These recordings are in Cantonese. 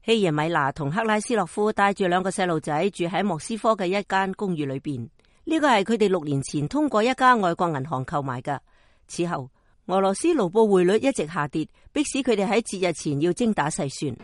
希耶米娜同克拉斯洛夫帶住兩個細路仔住喺莫斯科嘅一間公寓裏邊。呢個係佢哋6年前通過一家外國銀行購買嘅。此後，俄羅斯盧布匯率一直下跌，迫使佢哋喺節日前要精打細算。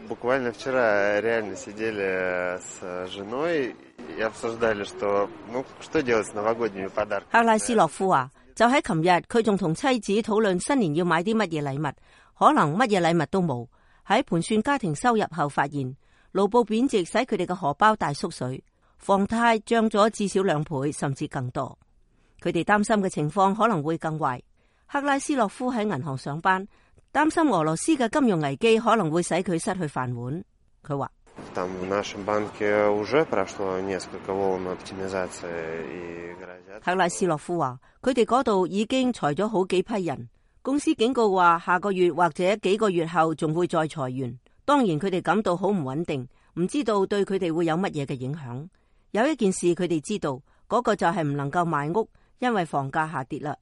克拉斯洛夫話：就喺琴日，佢仲同妻子討論新年要買啲乜嘢禮物，可能乜嘢禮物都冇。喺盤算家庭收入後，發現盧布貶值使佢哋嘅荷包大縮水，房貸漲咗至少2倍甚至更多。佢哋擔心嘅情況可能會更壞。克拉斯洛夫喺銀行上班，擔心俄羅斯嘅金融危機可能會使佢失去飯碗。佢話：克拉斯洛夫話，佢哋嗰度已經裁咗好幾批人，公司警告話下個月或者幾個月後仲會再裁員。當然佢哋感到好唔穩定，唔知道對佢哋會有乜嘢嘅影響。有一件事佢哋知道，嗰個就係唔能夠賣屋，因為房價下跌啦。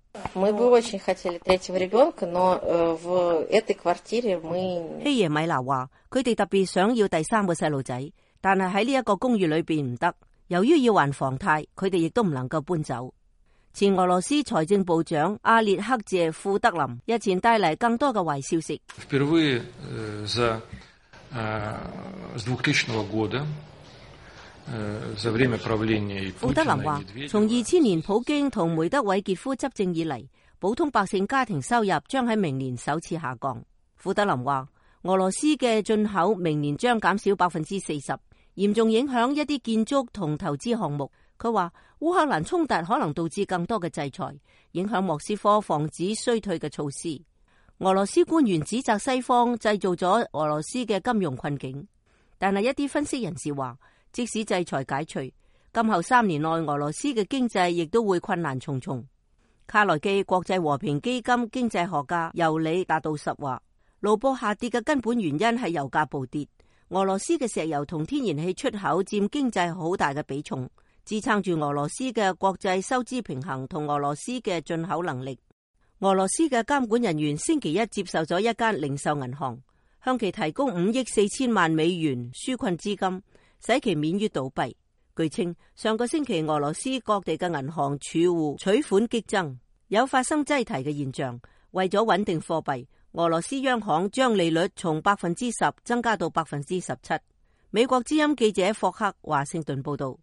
希耶米娜話，佢哋特別想要第3個細路仔，但係喺呢一個公寓裏邊唔得，由於要還房貸，佢哋亦都唔能夠搬走。前俄羅斯財政部長阿列克謝庫德林日前帶嚟更多嘅壞消息。庫德林話，從2000年普京同梅德韋傑夫執政以嚟，普通百姓家庭收入將喺明年首次下降。庫德林話，俄羅斯嘅進口明年將減少40%，嚴重影響一啲建築同投資項目。佢話烏克蘭衝突可能導致更多嘅制裁，影響莫斯科防止衰退嘅措施。俄羅斯官員指責西方製造咗俄羅斯嘅金融困境，但係一啲分析人士話，即使制裁解除，今後3年內俄羅斯嘅經濟亦都會困難重重。卡內基國際和平基金經濟學家尤里達杜什話，盧布下跌嘅根本原因係油價暴跌，俄羅斯嘅石油同天然氣出口佔經濟好大嘅比重，支撐住俄羅斯嘅國際收支平衡同俄羅斯嘅進口能力。俄羅斯嘅監管人員星期一接受咗一間零售銀行，向其提供5億4千萬美元紓困資金，使其免於倒閉。據稱，上個星期俄羅斯各地嘅銀行儲戶取款激增，有發生擠提嘅現象。為咗穩定貨幣，俄羅斯央行將利率從10%增加到17%。美國之音記者霍克華盛頓報道。